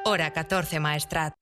Hora 14 Maestrat.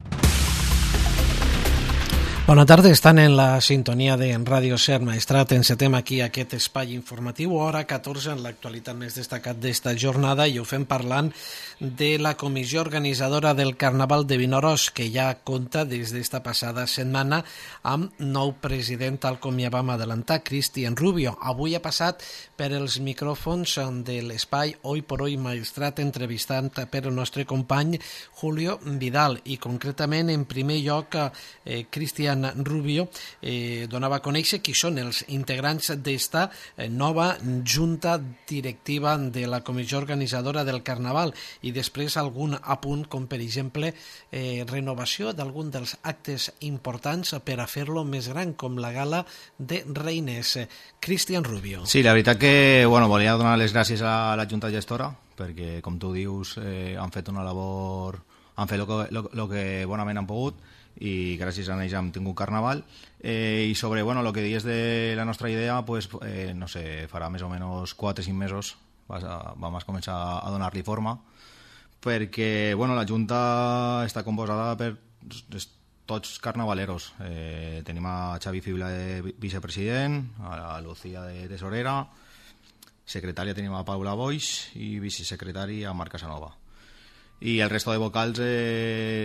Bona tarda, estan en la sintonia de Ràdio Ser Maestrat. Encetem aquí aquest espai informatiu, hora 14, en l'actualitat més destacat d'esta jornada, i ho fem parlant de la comissió organitzadora del Carnaval de Vinaròs, que ja compta des d'esta passada setmana amb nou president, tal com ja vam adelantar, Cristian Rubio. Avui ha passat per els micròfons de l'espai Hoy por Hoy Maestrat, entrevistant per el nostre company Julio Vidal, i concretament, en primer lloc, Cristian Rubio donava a conèixer qui són els integrants d'esta nova junta directiva de la comissió organitzadora del Carnaval, i després algun apunt, com per exemple renovació d'algun dels actes importants per a fer-lo més gran, com la gala de Reines. Cristian Rubio. Sí, la veritat que volia donar les gràcies a la junta gestora, perquè, com tu dius, han fet una labor, han fet el que bonament han pogut, i gràcies a ells hem tingut Carnaval. I sobre el que dius de la nostra idea, no sé, farà més o menys 4 o 5 mesos vam començar a donar-li forma, perquè la Junta està composada per tots carnavaleros. Tenim a Xavi Fibla de vicepresident, a Lucía de tesorera, secretària tenim a Paula Boix i vicesecretari a Marc Casanova. I el resto de vocals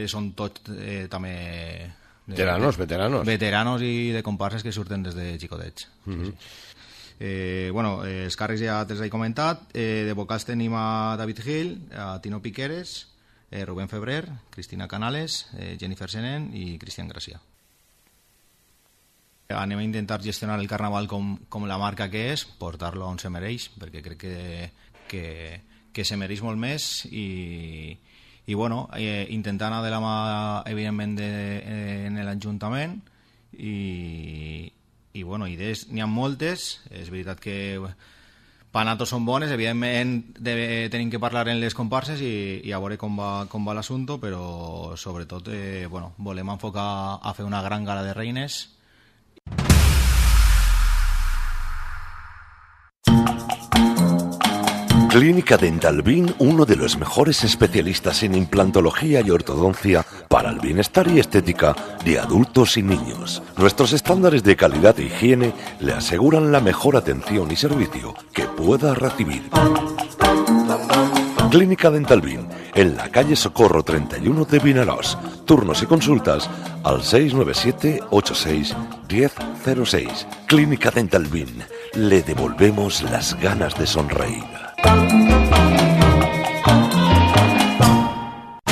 són tots també veteranos i de comparses que surten des de xicotets. Els càrrecs ja te'ls he comentat. De vocals tenim a David Gil, a Tino Piqueres, Rubén Febrer, Cristina Canales, Jennifer Senen i Cristian Gracia. Anem a intentar gestionar el Carnaval com la marca que és, portar-lo on se mereix, perquè crec que se mereix molt més, i intentar anar de la mà, evidentment, en l'Ajuntament, i idees n'hi ha moltes. És veritat que panatos són bones, evidentment tenim que parlar en les comparses i a veure com va l'assumpte, però sobretot volem enfocar a fer una gran gala de Reines. Clínica Dental Bin, uno de los mejores especialistas en implantología y ortodoncia para el bienestar y estética de adultos y niños. Nuestros estándares de calidad e higiene le aseguran la mejor atención y servicio que pueda recibir. Clínica Dental Bin, en la calle Socorro 31 de Vinaròs. Turnos y consultas al 697 86 1006. Clínica Dental Bin, le devolvemos las ganas de sonreír.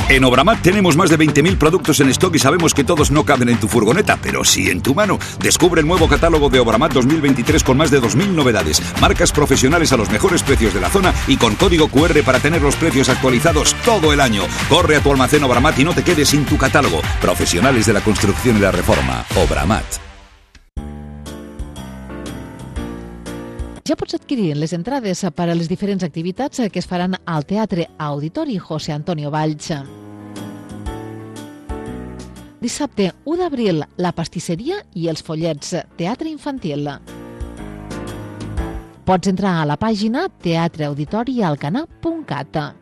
En Obramat tenemos más de 20.000 productos en stock y sabemos que todos no caben en tu furgoneta, pero sí en tu mano. Descubre el nuevo catálogo de Obramat 2023 con más de 2.000 novedades, marcas profesionales a los mejores precios de la zona y con código QR para tener los precios actualizados todo el año. Corre a tu almacén Obramat y no te quedes sin tu catálogo. Profesionales de la construcción y la reforma. Obramat. Ja pots adquirir les entrades per a les diferents activitats que es faran al Teatre Auditori José Antonio Valls. Dissabte 1 d'abril, la pastisseria i els follets, teatre infantil. Pots entrar a la pàgina teatreauditorialcanar.cat.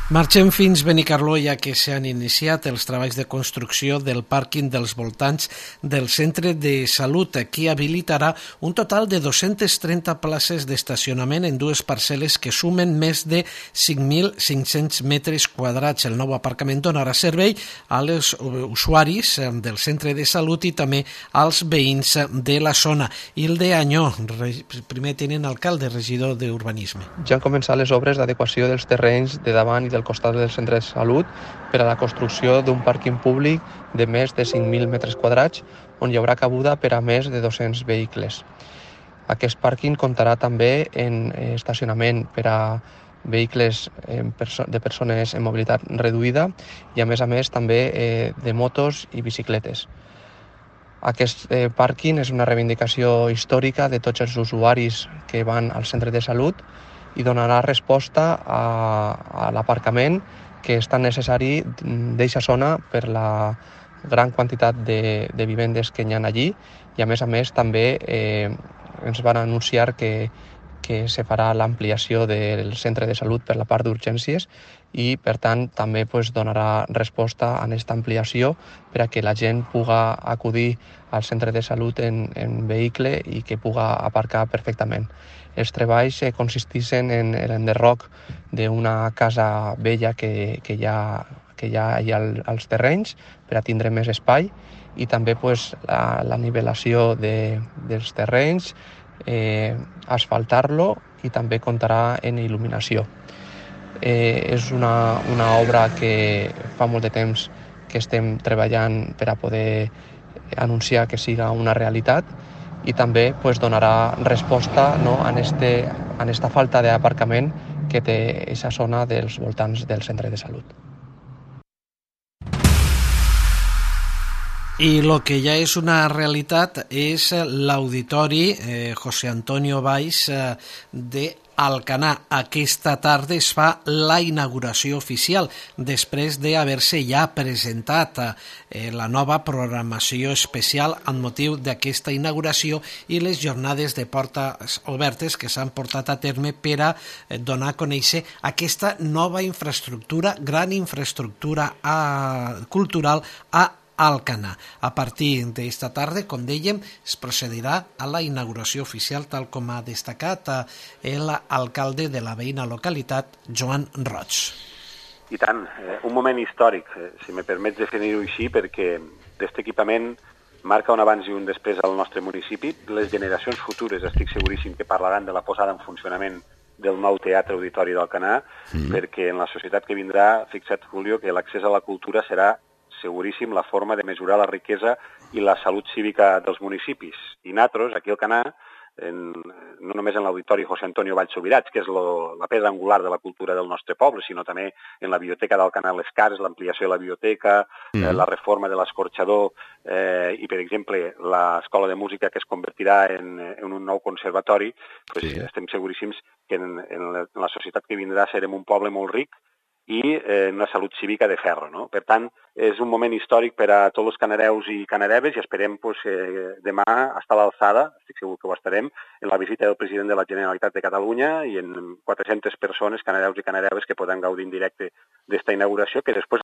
Marxem fins Benicarló, ja que s'han iniciat els treballs de construcció del pàrquing dels voltants del centre de salut, que habilitarà un total de 230 places d'estacionament en dues parcel·les que sumen més de 5.500 metres quadrats. El nou aparcament donarà servei als usuaris del centre de salut i també als veïns de la zona. Hilde Añó, primer tinent alcalde, regidor d'Urbanisme. Ja han començat les obres d'adequació dels terrenys de davant i del costat del centre de salut per a la construcció d'un pàrquing públic de més de 5.000 metres quadrats on hi haurà cabuda per a més de 200 vehicles. Aquest pàrquing comptarà també en estacionament per a vehicles de persones en mobilitat reduïda i a més també de motos i bicicletes. Aquest pàrquing és una reivindicació històrica de tots els usuaris que van al centre de salut i donarà resposta a l'aparcament que és tan necessari d'eixa zona per la gran quantitat de vivendes que hi ha allí i a més també ens van anunciar que que se farà l'ampliació del centre de salut per la part d'urgències i, per tant, també donarà resposta a aquesta ampliació per a que la gent puga acudir al centre de salut en vehicle i que puga aparcar perfectament. Els treballs consisteixen en l'enderroc d'una casa vella que ja hi ha als terrenys per a tindre més espai i també la nivelació dels terrenys, asfaltar-lo i també comptarà en il·luminació. És una obra que fa molt de temps que estem treballant per a poder anunciar que siga una realitat i també donarà resposta a aquesta falta d'aparcament que té aquesta zona dels voltants del centre de salut. Y lo que ya es una realidad es l'auditori José Antonio Valls de Alcanar. Aquesta tarda es fa la inauguració oficial després d'haver-se ja presentat la nova programació especial amb motiu d'aquesta inauguració i les jornades de portes obertes que s'han portat a terme per a donar a conèixer aquesta nova infraestructura, gran infraestructura cultural a Alcanar. A partir d'esta tarda, com dèiem, es procedirà a la inauguració oficial, tal com ha destacat l'alcalde de la veïna localitat, Joan Roig. I tant, un moment històric, si me permets definir-ho així, perquè aquest equipament marca un abans i un després al nostre municipi. Les generacions futures estic seguríssim que parlaran de la posada en funcionament del nou Teatre Auditori d'Alcanar, perquè en la societat que vindrà, fixa't, Julio, que l'accés a la cultura serà seguríssim la forma de mesurar la riquesa i la salut cívica dels municipis. I nosaltres, aquí al Alcanar, no només en l'Auditori José Antonio Valls Subirats, que és la pedra angular de la cultura del nostre poble, sinó també en la biblioteca d'Alcanar Les Cases, l'ampliació de la biblioteca, la reforma de l'escorxador i, per exemple, l'escola de música que es convertirà en un nou conservatori, estem seguríssims que en la societat que vindrà serem un poble molt ric i una salut cívica de ferro, no? Per tant, és un moment històric per a tots els canareus i canareves i esperem demà estar a l'alçada, estic segur que ho estarem, en la visita del president de la Generalitat de Catalunya i en 400 persones, canareus i canareves, que poden gaudir en directe d'esta inauguració, que després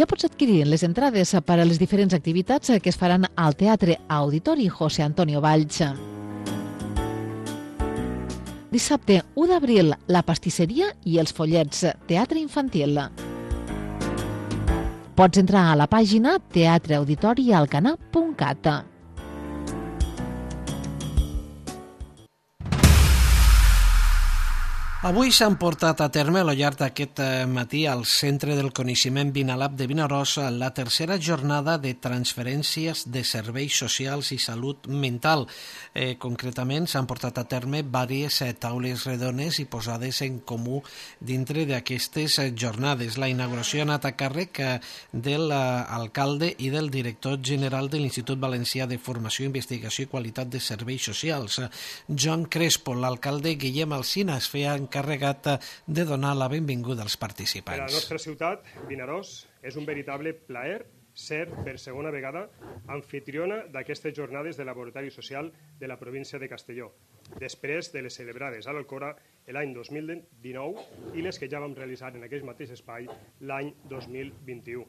Ja pots adquirir les entrades per a les diferents activitats que es faran al Teatre Auditori José Antonio Valls. Dissabte 1 d'abril, la pastisseria i els follets, teatre infantil. Pots entrar a la pàgina teatreauditorialcanar.cat. Avui s'han portat a terme al llarg d'aquest matí al Centre del Coneixement Vinalab de Vinaròs la tercera jornada de transferències de serveis socials i salut mental. Concretament s'han portat a terme diverses taules redones i posades en comú dintre d'aquestes jornades. La inauguració ha anat a càrrec de l'alcalde i del director general de l'Institut Valencià de Formació, Investigació i Qualitat de Serveis Socials, Joan Crespo. L'alcalde Guillem Alsina es feia encarregat de donar la benvinguda als participants. Per a la nostra ciutat, Vinaròs, és un veritable plaer ser per segona vegada anfitriona d'aquestes jornades de laboratori social de la província de Castelló, després de les celebrades a l'Alcora l'any 2019 i les que ja vam realitzar en aquest mateix espai l'any 2021.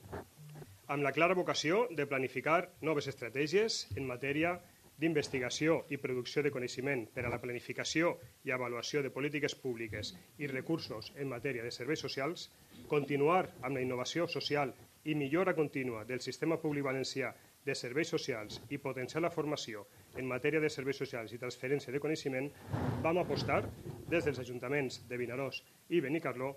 Amb la clara vocació de planificar noves estratègies en matèria d'investigació i producció de coneixement per a la planificació i avaluació de polítiques públiques i recursos en matèria de serveis socials, continuar amb la innovació social i millora contínua del sistema públic valencià de serveis socials i potenciar la formació en matèria de serveis socials i transferència de coneixement, vam apostar des dels ajuntaments de Vinaròs i Benicarló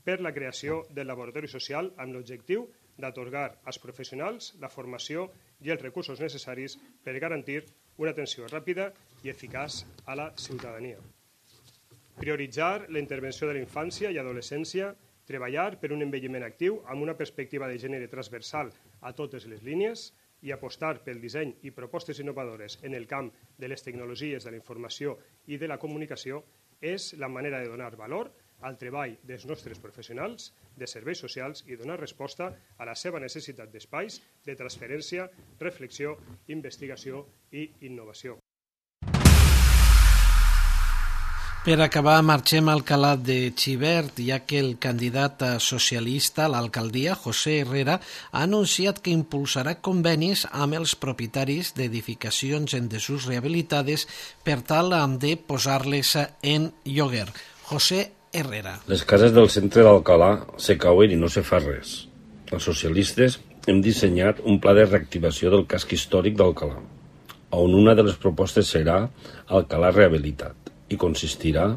per la creació del laboratori social amb l'objectiu d'atorgar als professionals la formació i els recursos necessaris per garantir una atenció ràpida i eficaç a la ciutadania. Prioritzar la intervenció de la infància i adolescència, treballar per un envelliment actiu amb una perspectiva de gènere transversal a totes les línies i apostar pel disseny i propostes innovadores en el camp de les tecnologies de la informació i de la comunicació és la manera de donar valor al treball dels nostres professionals de serveis socials i donar resposta a la seva necessitat d'espais de transferència, reflexió, investigació i innovació. Per acabar, marxem al Calat de Xivert, ja que el candidat socialista a l'alcaldia, José Herrera, ha anunciat que impulsarà convenis amb els propietaris d'edificacions en desús rehabilitades per tal de posar-les en lloguer. José Herrera. Les cases del centre d'Alcalà se cauen i no se fa res. Els socialistes hem dissenyat un pla de reactivació del casc històric d'Alcalà, on una de les propostes serà Alcalà rehabilitat, i consistirà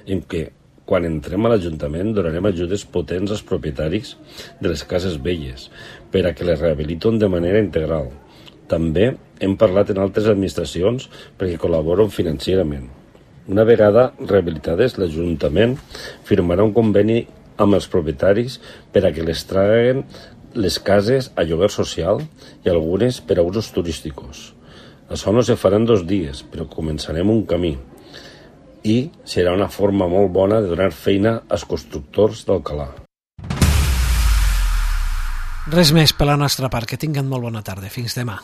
en que, quan entrem a l'Ajuntament, donarem ajudes potents als propietaris de les cases velles per a que les rehabiliten de manera integral. També hem parlat en altres administracions perquè col·laboren financerament. Una vegada rehabilitades, l'Ajuntament firmarà un conveni amb els propietaris per a que les traguen les cases a lloguer social i algunes per a usos turísticos. Això no se farà en 2 dies, però començarem un camí. I serà una forma molt bona de donar feina als constructors d'Alcalà. Res més per la nostra part. Que tinguen molt bona tarda. Fins demà.